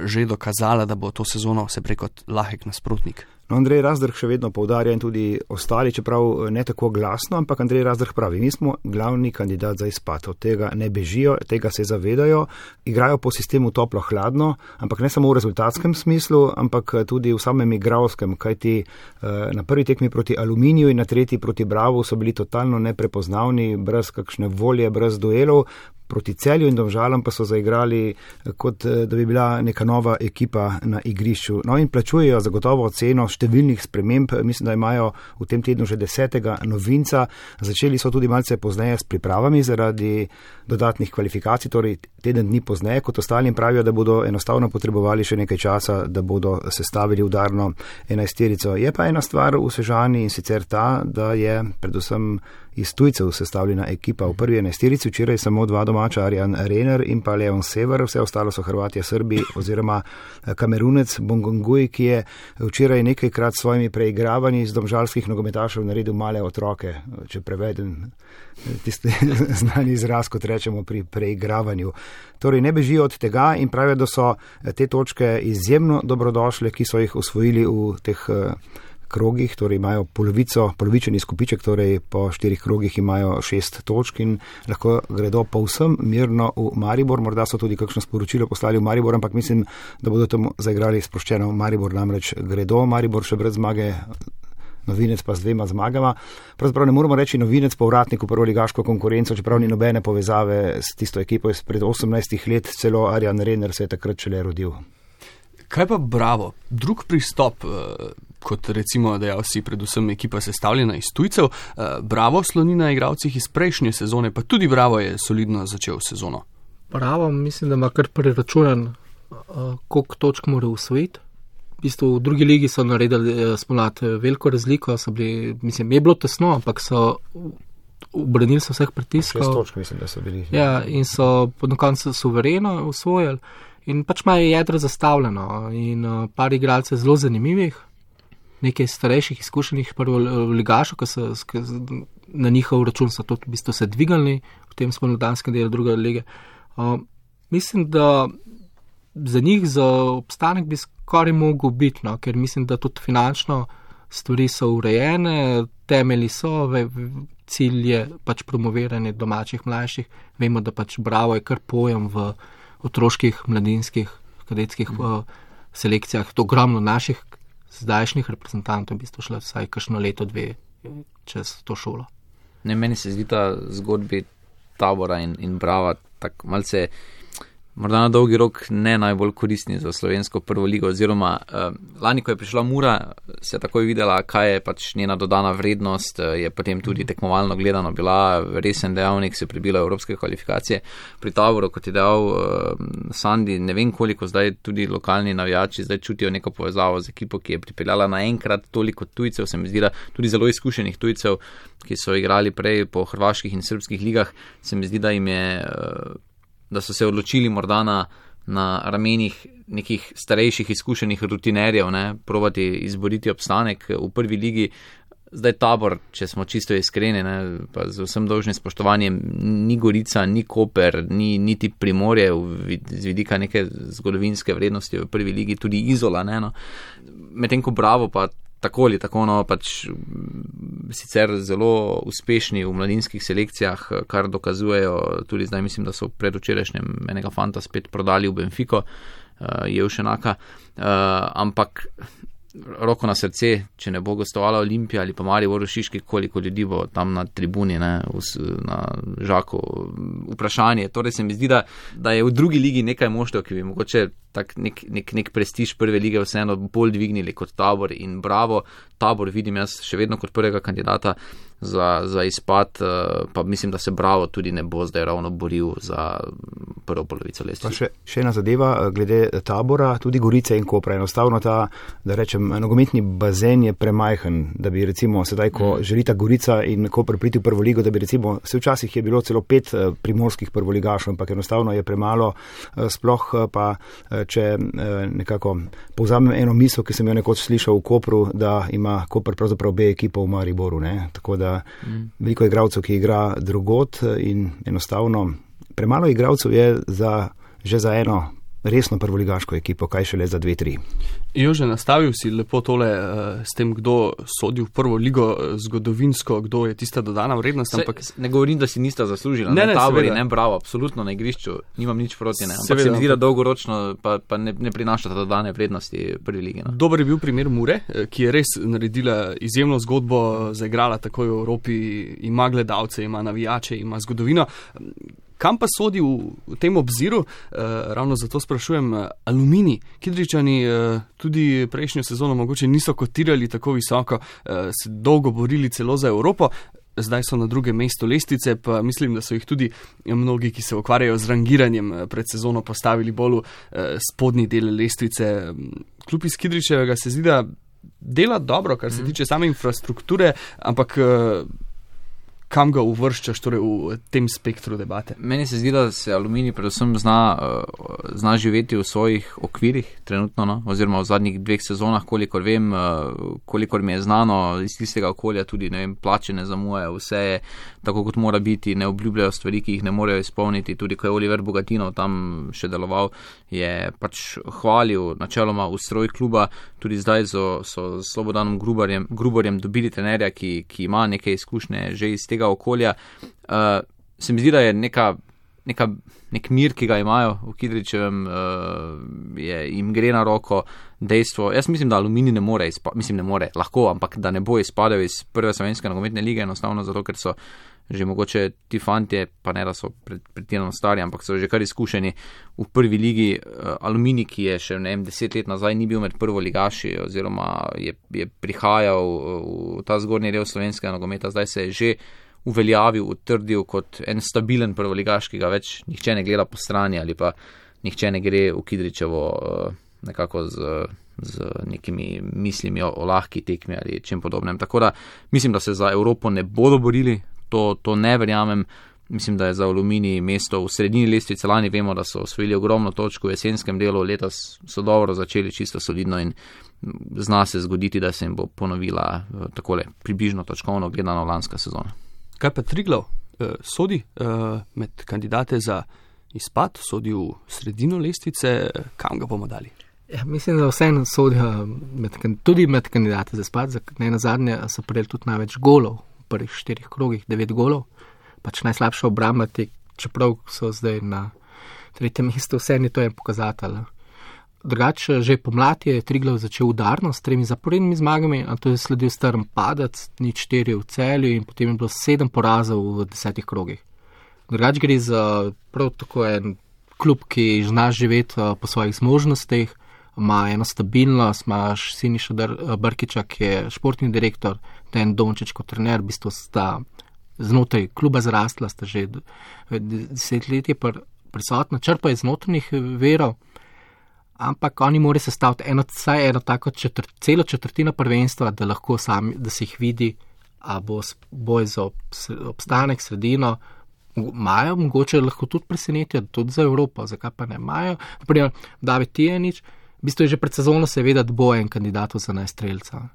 že dokazala, da bo to sezono se preko lahek nasprotnik? Andrej Razdrh še vedno poudarja in tudi ostali, čeprav ne tako glasno, ampak Andrej Razdrh pravi, mi smo glavni kandidat za izpad, od tega ne bežijo, tega se zavedajo, igrajo po sistemu toplo-hladno, ampak ne samo v rezultatskem smislu, ampak tudi v samem igralskem, kajti na prvi tekmi proti Aluminiju in na tretji proti Bravu so bili totalno neprepoznavni, brez kakšne volje, brez duelov. Proti Celju in Domžalam pa so zaigrali, kot da bi bila neka nova ekipa na igrišču. No in plačujejo zagotovo ceno številnih sprememb. Mislim, da imajo v tem tednu že 10. novinca. Začeli so tudi malce pozneje s pripravami zaradi dodatnih kvalifikacij, torej teden dni pozneje, kot ostalim pravijo, da bodo enostavno potrebovali še nekaj časa, da bodo sestavili udarno 11-terico. Je pa ena stvar v Sežani in sicer ta, da je predvsem iz tujcev sestavljena ekipa. V prvi 11-terici včeraj samo 2 domača, Arjan Rener in pa Leon Sever, vse ostalo so Hrvatje, Srbi oziroma Kamerunec Bongonguj, ki je včeraj nekajkrat s svojimi preigravanji iz domžalskih nogometašev naredil male otroke, če prevedem tisti znani izraz, kot rečemo pri preigravanju. Torej ne bežijo od tega in pravijo, da so te točke izjemno dobrodošle, ki so jih osvojili v teh krogih, torej imajo polovičen izkupiček, torej po 4 krogih imajo 6 točk in lahko gredo povsem mirno v Maribor. Morda so tudi kakšno sporočilo poslali v Maribor, ampak mislim, da bodo tam zaigrali sproščeno. Maribor namreč gredo, Maribor še brez zmage, Novinec pa z 2 zmagama. Pravzaprav ne moramo reči Novinec povratnik v prvoligaško konkurenco, čeprav ni nobene povezave s tisto ekipo izpred 18 let, celo Arjan Rener se je takrat šele rodil. Kaj pa Bravo? Drug pristop, kot recimo dejal si, predvsem ekipa sestavljena iz tujcev. Bravo sloni na igralcih iz prejšnje sezone, pa tudi Bravo je solidno začel sezono. Bravo, mislim, da ima kar preračunan, koliko točk mora usvojiti. V bistvu v drugi ligi so naredili spomlad veliko razliko, mislim, je bilo tesno, ampak so obranili so vseh pritiskov. 6 točk mislim, da so bili. Ja, in so na koncu suvereno usvojili. In pač imajo jedro zastavljeno in par igralcev zelo zanimivih, nekaj starejših, izkušenih prvoligašov, ki na njihov račun so to v bistvu se dvigali v tem spomladanskem delu druge lige. Mislim, da za njih za obstanek bi skoraj mogel biti, no, ker mislim, da tudi finančno stvari so urejene, temelji so, cilj je pač promoviranje domačih mlajših. Vemo, da pač Bravo je kar pojem v otroških, mladinskih, kadetskih selekcijah. To ogromno naših zdajšnjih reprezentantov v bistvu šlo vsaj kakšno leto, dve čez to šolo. Ne, meni se zdi ta zgodbi Tabora in Brava tako malce morda na dolgi rok ne najbolj koristni za slovensko prvo ligo, oziroma lani, ko je prišla Mura, se je takoj videla, kaj je pač njena dodana vrednost, je potem tudi tekmovalno gledano bila resen dejavnik, se prebila evropske kvalifikacije. Pri Taboru, kot je dejal Sandi, ne vem koliko zdaj tudi lokalni navijači zdaj čutijo neko povezavo z ekipo, ki je pripeljala naenkrat toliko tujcev, se mi zdi, da tudi zelo izkušenih tujcev, ki so igrali prej po hrvaških in srbskih ligah, se mi zdi, da jim je da so se odločili morda na ramenih nekih starejših izkušenih rutinerjev, probati izboriti obstanek v prvi ligi. Zdaj Tabor, če smo čisto iskreni, pa z vsem dolžnim spoštovanjem, ni Gorica, ni Koper, niti Primorje z vidika neke zgodovinske vrednosti v prvi ligi, tudi Izola. Medtem ko Bravo pa tako ali tako, pač sicer zelo uspešni v mladinskih selekcijah, kar dokazujejo, tudi zdaj mislim, da so predvčerajšnjem enega fanta spet prodali v Benfico, Jevšenaka, ampak roko na srce, če ne bo gostovala Olimpija ali pa Maribor Šiški, koliko ljudi bo tam na tribuni, na Žaku. Vprašanje, torej se mi zdi, da je v drugi ligi nekaj moštev, ki bi mogoče tak nek prestiž prve lige vseeno bolj dvignili kot Tabor in Bravo. Tabor vidim jaz še vedno kot prvega kandidata za izpad, pa mislim, da se Bravo tudi ne bo zdaj ravno boril za prvo polovico lestvice. Še ena zadeva glede Tabora, tudi Gorice in Kopra. Enostavno ta, da rečem, nogometni bazen je premajhen, da bi recimo sedaj, ko želita Gorica in Koper priti v prvo ligo, da bi recimo, se včasih je bilo celo 5 primorskih prvoligašov, ampak enostavno je premalo, sploh pa, če nekako povzamem eno misel, ki sem jo nekoč slišal v Kopru, da ima Koper pravzaprav B ekipo v Mariboru, tako da veliko igralcev, ki igra drugot in enostavno premalo igralcev je že za eno resno prvoligaško ekipo, kaj šele za 2-3. Jože, nastavil si lepo tole s tem, kdo sodi v prvo ligo zgodovinsko, kdo je tista dodana vrednost. Ampak ne govorim, da si nista zaslužila. Ne, Tabor in ne Bravo, absolutno na igrišču, nimam nič proti, ampak se mi zdi, da dolgoročno pa ne prinaša dodane vrednosti prvi ligi. Dober je bil primer Mure, ki je res naredila izjemno zgodbo, zaigrala takoj v Evropi, ima gledalce, ima navijače, ima zgodovino. Kam pa sodi v tem obziru, ravno zato sprašujem, Aluminij. Kidričani tudi prejšnjo sezono mogoče niso kotirali tako visoko, se dolgo borili celo za Evropo, zdaj so na drugem mestu lestvice, pa mislim, da so jih tudi mnogi, ki se ukvarjajo z rangiranjem pred sezono, postavili bolj v spodnji del lestvice. Klub iz Kidričevega se zdi, da dela dobro, kar se tiče same infrastrukture, ampak kam ga uvrščaš torej v tem spektru debate? Meni se zdi, da se Aluminij predvsem zna živeti v svojih okvirih trenutno, oziroma v zadnjih 2 sezonah, kolikor vem, kolikor mi je znano iz tistega okolja, tudi plače ne zamujajo, vse je tako, kot mora biti, ne obljubljajo stvari, ki jih ne morejo izpolniti. Tudi ko je Oliver Bogatinov tam še deloval, je pač hvalil načeloma ustroj kluba, tudi zdaj so s Slobodanom Gruborjem dobili trenerja, ki ima neke izkušnje že iz tega okolja. Se mi zdi, da je nek mir, ki ga imajo v Kidričevem, jim gre na roko dejstvo. Jaz mislim, da Aluminij ne more, lahko, ampak da ne bo izpadel iz prve slovenske nogometne lige, enostavno zato, ker so že mogoče ti fantje, pa ne da so pretirano stari, ampak so že kar izkušeni v prvi ligi. Aluminij, ki je še 10 let nazaj ni bil med prvoligaši, oziroma je prihajal v ta zgornji del slovenskega nogometa, zdaj se je že uveljavil, utrdil kot en stabilen prvoligaš, ki ga več nihče ne gleda po strani ali pa nihče ne gre v Kidričevo nekako z nekimi mislimi o lahki tekmi ali čem podobnem. Tako da mislim, da se za Evropo ne bodo borili, to ne verjamem, Mislim, da je za Aluminij mesto v sredini lestvice. Lani vemo, da so osvojili ogromno točk v jesenskem delu, letos so dobro začeli, čisto solidno in zna se zgoditi, da se jim bo ponovila takole približno točkovno gledano lanska sezona. Kaj pa Triglav sodi med kandidate za izpad, sodi v sredino lestvice, kam ga bomo dali? Ja, mislim, da vseeno sodijo tudi med kandidate za izpad, ne nazadnje so prejeli tudi največ golov v prvih 4 krogih, 9 golov. Pač najslabša obramba, čeprav so zdaj na 3. mestu, vseeno to je pokazatelj. Drugače, že pomlad je Triglav začel udarno s 3 zaporednimi zmagami, a to je sledil strm padec, 0-4 v Celju in potem je bilo 7 porazov v 10 krogih. Drugače gre za prav tako en klub, ki zna živeti po svojih zmožnostih, ima eno stabilnost, imaš Siniša Brkiča, ki je športni direktor, Dejan Dončić kot trener, v bistvu sta znotraj kluba zrastla, sta že 10 let prisotna, črpa iz notranjih verov, ampak oni morajo sestaviti vsaj eno tako celo četrtino prvenstva, da lahko sami, da se jih vidi, a bo boj za obstanek, sredino, imajo, mogoče lahko tudi presenetijo, tudi za Evropo, zakaj pa ne imajo. Naprimer, David Tijanič, v bistvu je že pred sezono se veda, da bo en kandidat za najstrelca.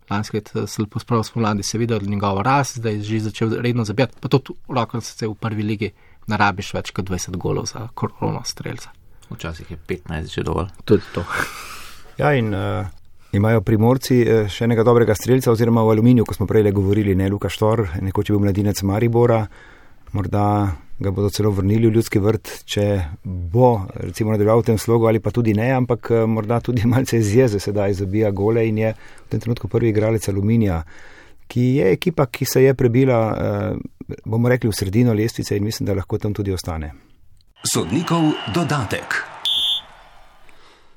Lanski let se lepo spravo spomladi se videl njegovo rast, zdaj je že začel redno zabijati, pa to roko se v prvi ligi narabiš več kot 20 golov za korono strelca. Včasih je 15 že dovolj. Tudi to. Ja, in imajo Primorci še enega dobrega strelca, oziroma v Aluminiju, ko smo prej govorili, ne, Luka Štor, nekoč je bil mladinec Maribora, morda ga bodo celo vrnili v Ljudski vrt, če bo recimo nadaljeval v tem slogu ali pa tudi ne, ampak morda tudi malce iz jeze sedaj zabija gole in je v tem trenutku prvi igralec Aluminija, ki je ekipa, ki se je prebila, bomo rekli, v sredino lestvice in mislim, da lahko tam tudi ostane. Sodnikov dodatek.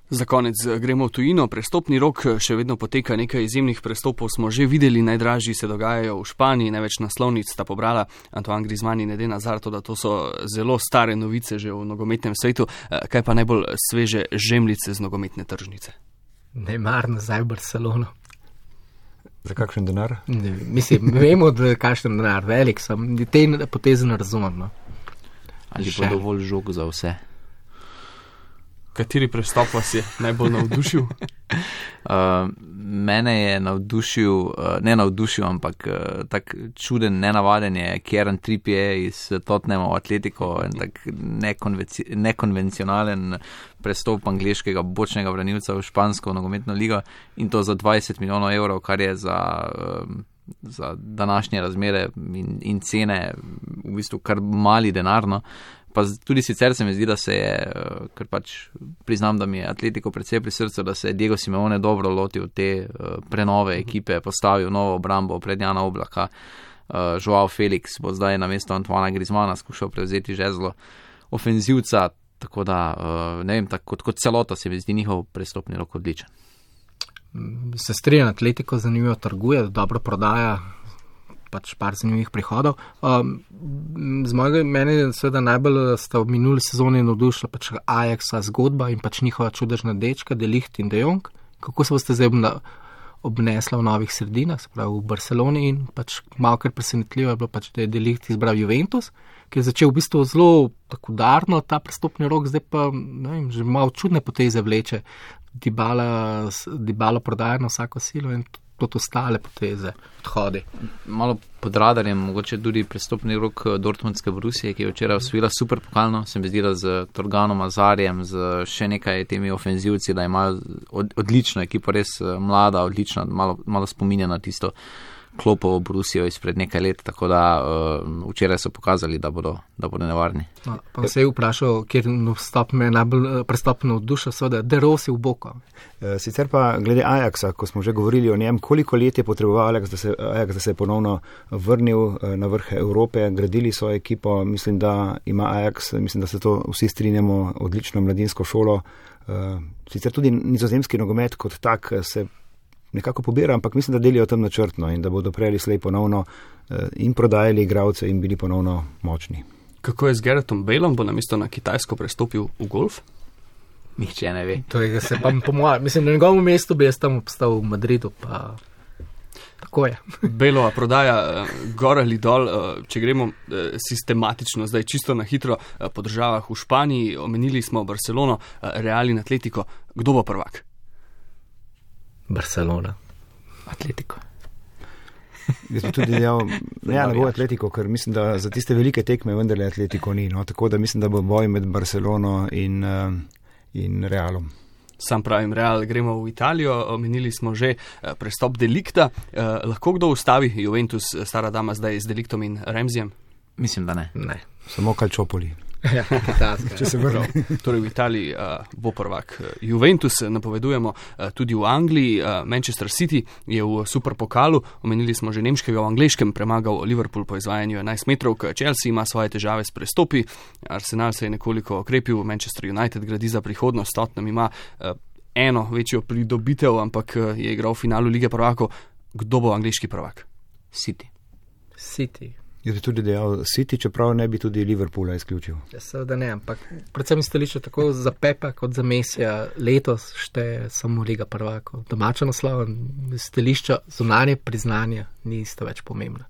Za konec gremo v tujino. Prestopni rok še vedno poteka, nekaj izjemnih prestopov smo že videli, najdražji se dogajajo v Španiji, največ naslovnic sta pobrala Antoine Griezmann in Eden Hazard, da to so zelo stare novice že v nogometnem svetu. Kaj pa najbolj sveže žemljice z nogometne tržnice? Neymar nazaj v Barcelono. Za kakšen denar? Ne, mislim, vemo, da je kakšen denar, velik sem, te poteze ne razumem. No. Ali pa dovolj žog za vse? Kateri prestop vas je najbolj navdušil? Mene je navdušil, ampak tak čuden, nenavaden je Kieran Trippier iz Tottenhama v Atletico, en tak nekonvencionalen prestop angleškega bočnega branilca v špansko nogometno ligo in to za 20 milijonov evrov, kar je za današnje razmere in cene v bistvu kar mali denar, no. Pa tudi sicer se mi zdi, da se je, ker pač priznam, da mi je Atletico predvsej pri srcu, da se je Diego Simeone dobro lotil te prenove ekipe, postavil novo obrambo pred Jana Oblaka. Joao Felix bo zdaj na mesto Antoana Griezmana skušal prevzeti žezlo ofenzivca, tako da, ne vem, tako kot celota se mi zdi njihov prestopni rok odličen. Se strinjam, Atletico zanimivo trguje, dobro prodaja, pač par zanimivih prihodov. Mene seveda najbolj sta v minuli sezoni navdušila pač Ajaxa zgodba in pač njihova čudežna dečka, De Ligt in De Jong. Kako se boste zdaj obnesla v novih sredinah, se pravi v Barceloni in pač malo kar presenetljivo je bilo pač, da je De Ligt izbral Juventus, ki je začel v bistvu zelo tako udarno ta prestopni rok, zdaj pa ne vem, že malo čudne poteze vleče. Dybala prodaja na vsako silo in tudi ostale poteze, odhodi. Malo pod radarjem, mogoče tudi prestopni rok Dortmundske Borusije, ki je včeraj osvojila super pokalno, se mi zdi, da z Torganom Azarjem, z še nekaj temi ofenzivci, da imajo odlično ekipo, res mlada, odlična, malo spominja na tisto Klopovo Borusijo izpred nekaj let, tako da včeraj so pokazali, da bodo nevarni. No, pa se je vprašal, kjer me najbolj prestopno odduša, seveda, De Rossi v Boko. Sicer pa glede Ajaxa, ko smo že govorili o njem, koliko let je potreboval Ajax, da se je ponovno vrnil na vrh Evrope, gradili so ekipo, mislim, da ima Ajax, mislim, da se to vsi strinjamo, odlično mladinsko šolo. Sicer tudi nizozemski nogomet kot tak se nekako pobira, ampak mislim, da delijo tam načrtno in da bodo prej ali slej ponovno in prodajali igralce in bili ponovno močni. Kako je z Garethom Baleom, bo namesto na Kitajsko prestopil v golf? Nihče ne ve. To je, se pa po mojem, mislim, na njegovem mestu bi jaz tam obstal v Madridu, pa... Tako je. Belova prodaja gor ali dol, če gremo sistematično, zdaj čisto na hitro po državah v Španiji, omenili smo Barcelono, Real in Atletico. Kdo bo prvak? Barcelona. Atletico. Jaz bi tudi dejal, ne bo Atletico, ker mislim, da za tiste velike tekme vendarle Atletico ni. No? Tako da mislim, da bo boj med Barcelono in Realom. Sam pravim Real, gremo v Italijo, omenili smo že prestop Delikta. Lahko kdo ustavi Juventus, stara dama zdaj z Deliktom in Ramseyjem? Mislim, da ne. Ne. Samo Calciopoli. Ja, če se vrne. Torej v Italiji bo prvak Juventus, napovedujemo tudi v Angliji. Manchester City je v superpokalu, omenili smo že nemškega, v angleškem premagal Liverpool po izvajanju 11 metrovk. Chelsea ima svoje težave s prestopi, Arsenal se je nekoliko okrepil, Manchester United gradi za prihodnost, Tottenham ima eno večjo pridobitev, ampak je igral v finalu Lige prvakov. Kdo bo angleški prvak? City. Jaz bi tudi dejal City, čeprav ne bi tudi Liverpoola izključil. Ja, seveda ne, ampak predvsem stališče tako za Pepa kot za Mesija letos šteje samo Liga prvakov. Domača naslova, stališča zunanje priznanja nista več pomembna.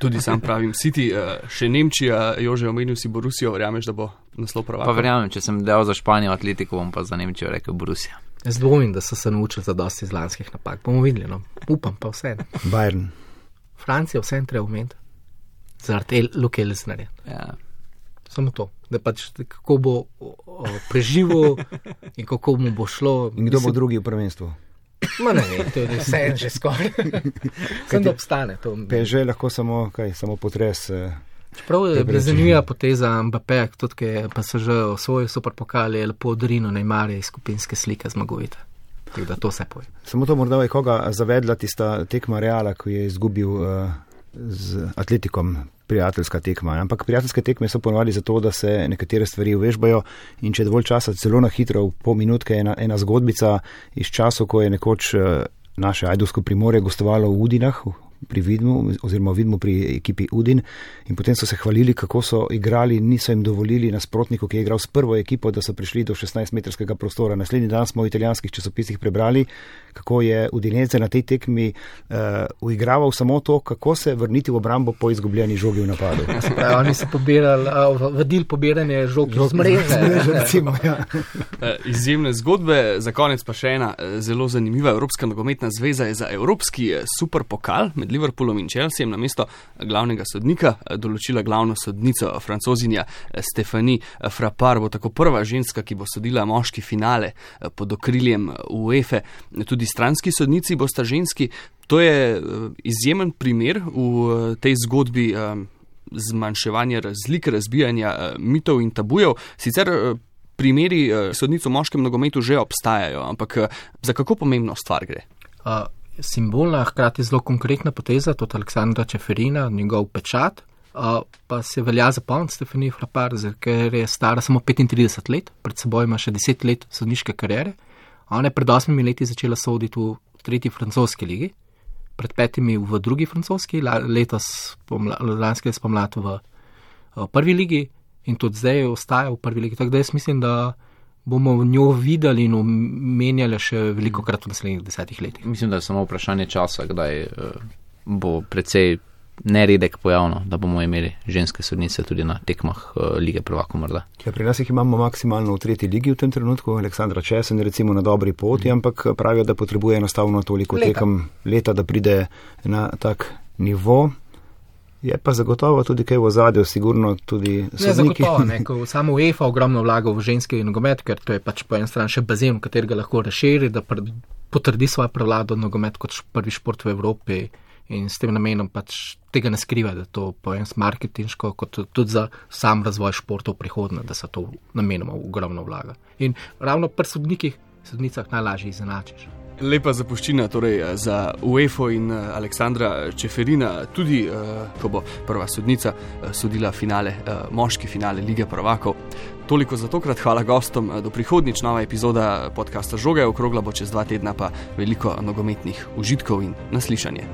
Tudi sam pravim City, še Nemčija, Jože, omenil si Borussijo, verjameš, da bo naslov prvaka? Pa verjamem, če sem dejal za Španijo Atletico, bom pa za Nemčijo rekel Borussia. Jaz dvomim, da so se naučili za dosti iz lanskih napak. Bomo videli, no. Upam pa vse. Bayern. Francija vse treba umeti. Zaradi Luke Elsnerja. Ja. Samo to, da pač kako bo preživel in kako mu bo šlo. In kdo bo drugi v prvenstvu? Ma ne, to je vse že skoraj. Sem da obstane to. PSG lahko samo potres. Čeprav je bila zanimiva poteza Mbappéja, tudi ki je pa se že osvojil superpokal, je lepo odrinil Neymarja iz skupinske slike zmagovite. Tako da to vse poje. Samo to morda je koga zavedla tista tekma Reala, ko je izgubil z Atletikom, prijateljska tekma. Ampak prijateljske tekme so ponovali zato, da se nekatere stvari uvežbajo in če je dovolj časa, celo na hitro, v pol minutke ena zgodbica iz časov, ko je nekoč naše Ajdovsko Primorje gostovalo v Udinah, pri Vidmu, oziroma Vidmu pri ekipi Udin, in potem so se hvalili, kako so igrali, niso jim dovolili nasprotniku, ki je igral s prvo ekipo, da so prišli do 16-metrskega prostora. Naslednji dan smo v italijanskih časopisih prebrali, kako je Udinese na tej tekmi uigraval samo to, kako se vrniti v obrambo po izgubljeni žogi v napadu. Oni so vodili pobiranje žog z mreže. Izjemne zgodbe, za konec pa še ena zelo zanimiva. Evropska nogometna zveza je za evropski superpokal med Liverpoolom in Chelseajem namesto glavnega sodnika določila glavno sodnico, Francozinja Stéphanie Frappart, bo tako prva ženska, ki bo sodila moški finale pod okriljem UEFA. Tudi stranski sodnici bosta ženski. To je izjemen primer v tej zgodbi zmanjševanja razlik, razbijanja mitov in tabujev. Sicer primeri sodnic v moškem nogometu že obstajajo, ampak za kako pomembno stvar gre? Simbolna, hkrati zelo konkretna poteza, tudi Aleksandra Čeferina, njegov pečat, pa se velja zapomniti Stéphanie Frappart, ker je stara samo 35 let, pred seboj ima še 10 let sodniške kariere. Ona je pred 8 leti začela soditi v 3. francoski ligi, pred 5 v 2. francoski, lanske spomlad v 1. ligi in tudi zdaj ostaja v 1. ligi. Tako da jaz mislim, da bomo v njo videli in omenjali še veliko krat v naslednjih 10 letih. Mislim, da je samo vprašanje časa, kdaj bo precej neredek pojavno, da bomo imeli ženske sodnice tudi na tekmah Lige prvakov morda. Ja, pri nas jih imamo maksimalno v 3. ligi v tem trenutku, Aleksandra Česen recimo na dobri poti, ampak pravijo, da potrebuje enostavno toliko tekem leta, da pride na tak nivo. Je pa zagotovo tudi kaj v ozadju, sigurno tudi sodniki. Zagotovo, ne, ko samo UEFA ogromno vlaga v ženski nogomet, ker to je pač po eni strani še bazen, v katerega lahko razširi, da potrdi svojo prevlado nogomet kot prvi šport v Evropi in s tem namenom pač tega ne skriva, da to po en marketinško, kot tudi za sam razvoj športov prihodnje, da se to namenoma ogromno vlaga. In ravno pri sodnicah najlažje izenačiš. Lepa zapuščina torej za UEFA in Aleksandra Čeferina, tudi ko bo prva sodnica sodila finale, moški finale Lige prvakov. Toliko za tokrat, hvala gostom, do prihodnjič, nova epizoda podcasta Žoga je okrogla, bo čez 2 tedna pa veliko nogometnih užitkov in naslišanje.